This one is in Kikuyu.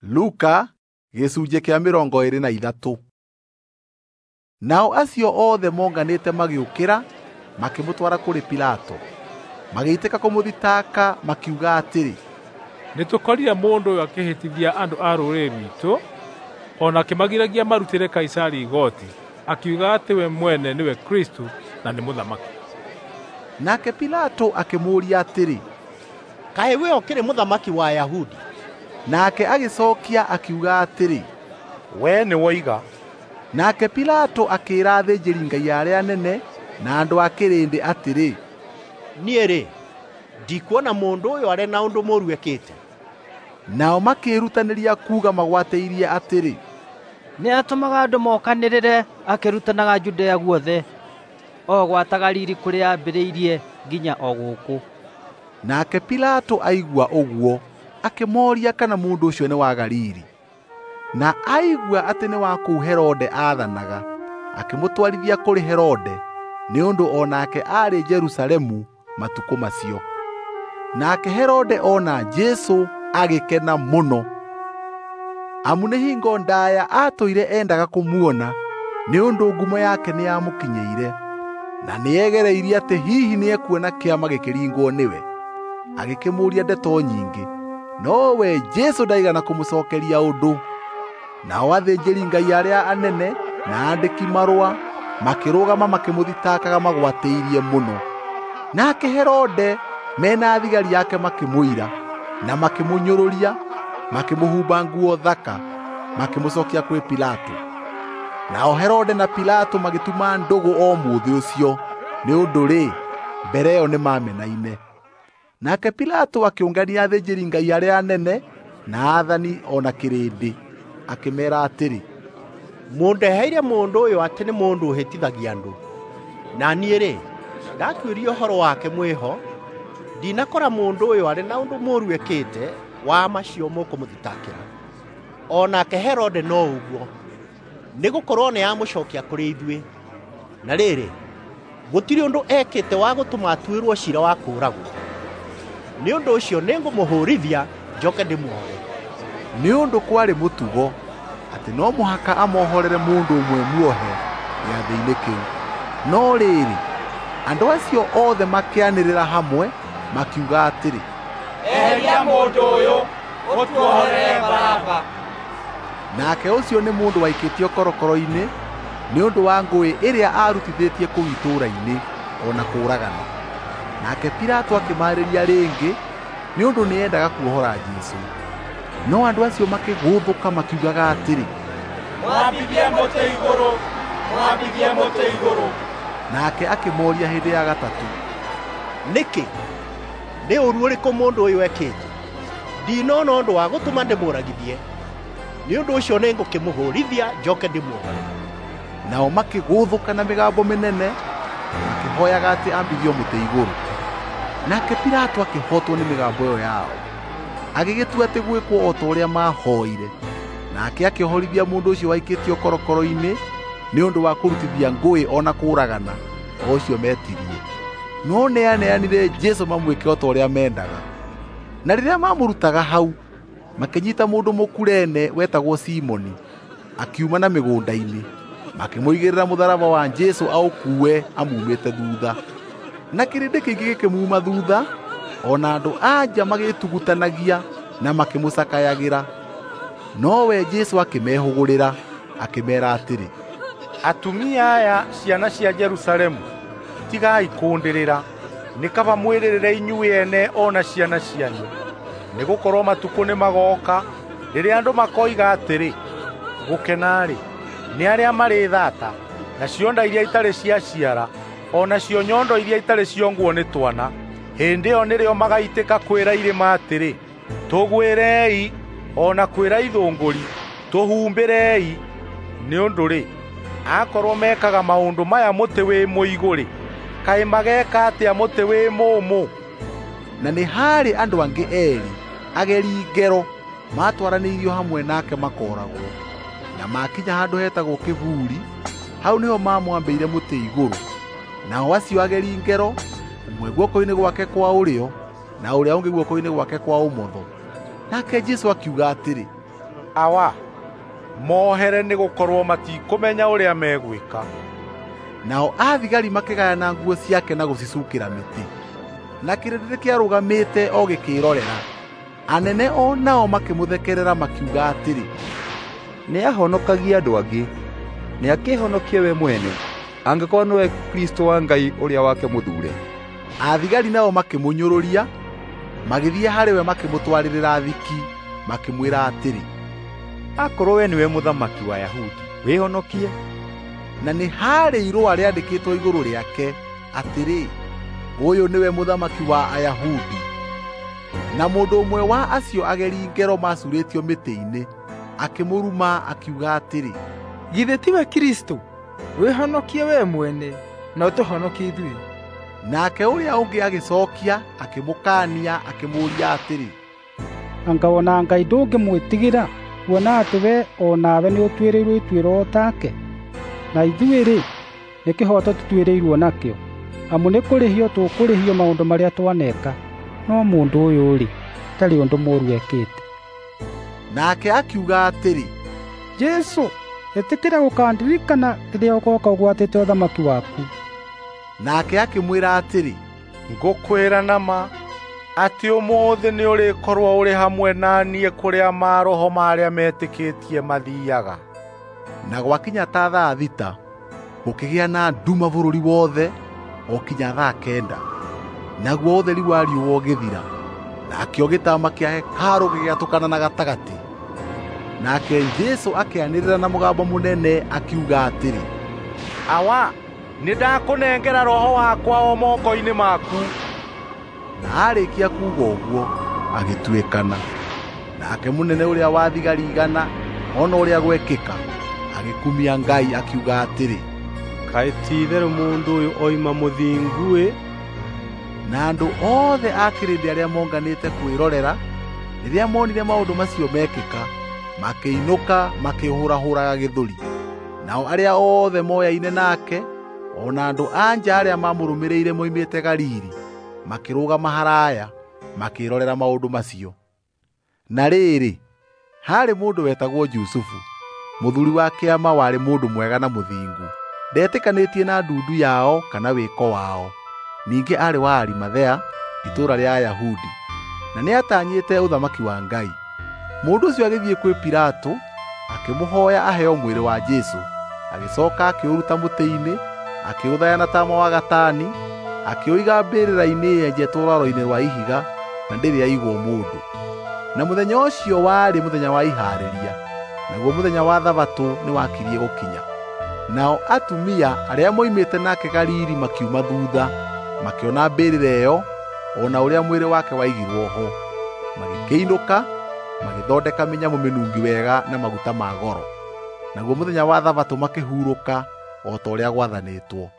Luka gĩcunjĩ kĩa 23. Nao acio othe monganĩte magĩũkĩra makĩmũtwara kũrĩ Pilato. Magĩitĩka kũmũthitaka makiuga atĩrĩ, nĩtũkorire mũndũ ũyũ akĩhĩtithia andũ a rũrĩrĩ rwitũ, o na akĩmagiragia marutĩre Kaisari igooti, akiuga atĩ we mwene nĩwe Kristo na nĩ mũthamaki. Nake Pilato akĩmũũria atĩrĩ, kaĩ we ũkĩrĩ mũthamaki wa Ayahudi? Nake agĩcokia akiuga atĩrĩ, we nĩwoiga. Nake Pilato akĩĩra athĩnjĩri-Ngai arĩa anene na andũ a kĩrĩndĩ atĩrĩ, niĩ-rĩ, ndikuona mũndũ ũyũ arĩ na ũndũ mũũru ekĩte. Nao makĩĩrutanĩria kuuga magwatĩirie atĩrĩ, nĩatũmaga andũ mokanĩrĩre akĩrutanaga Judea guothe, o gwata Galili kũrĩa aambĩrĩirie nginya o gũkũ. Nake Pilato aigua ũguo akĩmooria kana mũndũ ũcio nĩ wa Galili. Na aigua atĩ nĩ wa kũu Herode aathanaga, akĩmũtwarithia kũrĩ Herode, nĩ ũndũ o nake aarĩ Jerusalemu matukũ macio. Nake Herode ona Jesũ agĩkena mũno, amu nĩ hingo ndaaya aatũire endaga kũmuona, nĩ ũndũ ngumo yake nĩyamũkinyĩire, na nĩegereirie atĩ hihi nĩekuona kĩama gĩkĩringwo nĩwe. Agĩkĩmũũria ndeto nyingĩ, nowe Jesũ ndaigana kũmũcookeria ũndũ. Nao athĩnjĩri-Ngai arĩa anene na aandĩki marũa makĩrũgama makĩmũthitakaga magwatĩirie mũno. Nake Herode mena thigari yake makĩmũira na makĩmũnyũrũria, makĩmũhumba nguo thaka, makĩmũcokia kwĩ Pilato. Nao Herode na Pilato magĩtuma ndũgũ o mũthĩ ũcio, nĩ ũndũ-rĩ, mbere ĩyo nĩmamenaine. Nake Pilato akĩũngania athĩnjĩri-Ngai arĩa anene na aathani o na kĩrĩndĩ, akĩmeera atĩrĩ, mũndeheire mũndũ ũyũ atĩ nĩ mũndũ ũhĩtithagia andũ. Na niĩ-rĩ, ndatuĩria ũhoro wake mwĩho, ndinakora mũndũ ũyũ arĩ na ũndũ mũũru ekĩte wa macio mũkũmũthitakĩra. O nake Herode no ũguo, nĩgũkorwo nĩamũcokia kũrĩ ithuĩ. Na rĩrĩ, gũtirĩ ũndũ ekĩte wa gũtũma atuĩrwo ciira wa kũũragwo. Nĩ ũndũ ũcio nĩngũmũhũũrithia njoke ndĩmuohore. Nĩ ũndũ kwarĩ mũtugo atĩ no mũhaka amohorere mũndũ ũmwe muohe gĩathĩ-inĩ kĩu. No rĩrĩ, andũ acio othe makĩanĩrĩra hamwe makiuga atĩrĩ, eheria mũndũ ũyũ, ũtuohorere Baraba. Nake ũcio nĩ mũndũ waikĩtio korokoro-inĩ nĩ ũndũ wa ngũĩ ĩrĩa aarutithĩtie kũu itũũra-inĩ o na kũũragana. Nake Pilato akĩmaarĩria rĩngĩ nĩ ũndũ nĩendaga kuohora Jesũ. No andũ acio makĩgũthũka makiugaga atĩrĩ, mwambithie mũtĩ igũrũ, mwambithie mũtĩ igũrũ. Nake akĩmooria hĩndĩ ya gatatũ, nĩkĩ? Nĩ ũũru ũrĩkũ mũndũ ũyũ ekĩte? Ndinona ũndũ wa gũtũma ndĩmũũragithie. Nĩ ũndũ ũcio nĩngũkĩmũhũũrithia njoke ndĩmuohore. Nao makĩgũthũka na mĩgambo mĩnene makĩhooyaga atĩ ambithio mũtĩ igũrũ. Nake Pilato akĩhotwo nĩ mĩgambo ĩyo yao, agĩgĩtua atĩ gwĩkwo o ta ũrĩa maahoire. Nake akĩohorithia mũndũ ũcio waikĩtio korokoro-inĩ nĩ ũndũ wa kũrutithia ngũĩ o na kũũragana, o ũcio metirie. No nĩaneanire Jesũ mamwĩke o ta ũrĩa mendaga. Na rĩrĩa maamũrutaga hau, makĩnyiita mũndũ Mũkurene wetagwo Simoni, akiuma na mĩgũnda-inĩ, makĩmũigĩrĩra mũtharaba wa Jesũ aũkuue amumĩte thutha. Na kĩrĩndĩ kĩingĩ gĩkĩmuuma thutha, o na andũ a nja magĩtugutanagia na makĩmũcakayagĩra. Nowe Jesũ akĩmehũgũrĩra, akĩmeera atĩrĩ, atumia aya ciana cia Jerusalemu, tigai kũndĩrĩra, nĩ kaba mwĩrĩrĩre inyuĩ ene o na ciana cianyu. Nĩgũkorwo matukũ nĩmagooka rĩrĩa andũ makoiga atĩrĩ, gũkena-rĩ, nĩ arĩa marĩ thata, nacio nda iria itarĩ ciaciara, o nacio nyondo iria itarĩ ciongwo nĩ twana. Hĩndĩ ĩyo nĩrĩo magaitĩka kwĩra irĩma atĩrĩ, tũgwĩrei, o na kwĩra ithũngũri, tũhumbĩrei. Nĩ ũndũ-rĩ, akorwo mekaga maũndũ maya mũtĩ wĩ mũigũ-rĩ, kaĩ mageeka atĩa mũtĩ wĩ mũũmũ? Na nĩ haarĩ andũ angĩ eerĩ ageri ngero maatwaranĩirio hamwe nake makooragwo. Na makinya handũ hetagwo Kĩburi, hau nĩho maamwambĩire mũtĩ igũrũ. Nao acio ageri ngero, ũmwe guoko-inĩ gwake kwa ũrĩo na ũrĩa ũngĩ guoko-inĩ gwake kwa ũmotho. Nake Jesũ akiuga atĩrĩ, Awa, mohere nĩgũkorwo matikũmenya ũrĩa megwĩka. Nao athigari makĩgayana nguo ciake na gũcicukĩra mĩtĩ. Na kĩrĩndĩ kĩarũgamĩte o gĩkĩĩrorera. Anene o nao makĩmũthekerera makiuga atĩrĩ, Nĩahonokagia andũ angĩ, nĩakĩĩhonokie we mwene, angĩkorwo nĩwe Kristũ wa Ngai ũrĩa wake mũthuure. Athigari nao makĩmũnyũrũria, magĩthiĩ harĩ we makĩmũtwarĩrĩra thiki, makĩmwĩra atĩrĩ, Akorwo we nĩwe mũthamaki wa Ayahudi, wĩhonokie. Na nĩ haarĩ irũa rĩandĩkĩtwo igũrũ rĩake atĩrĩ, ũyũ nĩwe mũthamaki wa Ayahudi. Na mũndũ ũmwe wa acio ageri ngero macuurĩtio mĩtĩ-inĩ akĩmũruma akiuga atĩrĩ, Githĩ tiwe Kristũ? Wĩhonokie we mwene na ũtũhonokie ithuĩ. Nake ũrĩa ũngĩ agĩcookia akĩmũkaania akĩmũũria atĩrĩ, Anga ona Ngai ndũngĩmwĩtigĩra, kuona atĩ we o nawe nĩũtuĩrĩirwo ituĩro o take? Na ithuĩ-rĩ, nĩ kĩhooto tũtuĩrĩirwo nakĩo, amu nĩ kũrĩhio tũkũrĩhio maũndũ marĩa twaneka. No mũndũ ũyũ-rĩ, ndarĩ ũndũ mũũru ekĩte. Nake akiuga atĩrĩ, Jesũ, ĩtĩkĩra gũkandirikana rĩrĩa ũgooka ũgwatĩte ũthamaki waku. Nake akĩmwĩra atĩrĩ, Ngũkwĩra na ma atĩ ũmũthĩ nĩũrĩkorwo ũrĩ hamwe na niĩ kũrĩa maroho ma arĩa metĩkĩtie mathiiaga. Na gwakinya ta thaa 6, gũkĩgĩa na nduma bũrũri wothe o kinya thaa 9. Naguo ũtheri wa riũa ũgĩthira, nakĩo gĩtama kĩa hekarũ gĩgĩatũkana na gatagatĩ. Nake Jesũ akĩanĩrĩra na mũgambo mũnene akiuga atĩrĩ, Awa, nĩndakũnengera roho wakwa o moko-inĩ maku. Na aarĩkia kuuga ũguo, agĩtuĩkana. Nake mũnene ũrĩa wa thigari 100 ona ũrĩa gwekĩka, agĩkumia Ngai akiuga atĩrĩ, Kaĩ ti-itherũ mũndũ ũyũ oima mũthingu-ĩ! Na andũ othe a kĩrĩndĩ arĩa monganĩte kwĩrorera, rĩrĩa monire maũndũ macio mekĩka, makĩinũka makĩhũrahũraga gĩthũri. Nao arĩa othe moyaine nake, o na andũ a nja arĩa mamũrũmĩrĩire moimĩte Galili, makĩrũgama haraya, makĩĩrorera maũndũ macio. Na rĩrĩ, haarĩ mũndũ wetagwo Jusufu, mũthuuri wa kĩama warĩ mũndũ mwega na mũthingu. Ndetĩkanĩtie na ndundu yao kana wĩko wao. Ningĩ aarĩ wa Arimathea, itũũra rĩa Ayahudi, na nĩatanyĩte ũthamaki wa Ngai. Mũndũ ũcio agĩthiĩ kwĩ Pilato, akĩmũhooya aheo mwĩrĩ wa Jesũ. Agĩcooka akĩũruta mũtĩ-inĩ, akĩũthaya na taama wa gatani, akĩũiga mbĩrĩra-inĩ yenjetwo rwaro-inĩ rwa ihiga, na ndĩrĩ yaigwo mũndũ. Na mũthenya ũcio warĩ mũthenya wa ihaarĩria, naguo mũthenya wa Thabatũ nĩwakirie gũkinya. Nao atumia arĩa moimĩte nake Galili makiuma thuutha, makĩona mbĩrĩra ĩyo o na ũrĩa mwĩrĩ wake waigirwo ho. Magĩkĩinũka, magĩthondeka mĩnyamũ mĩnungi wega na maguta ma goro. Naguo mũthenya wa Thabatũ makĩhurũka o ta ũrĩa gwathanĩtwo.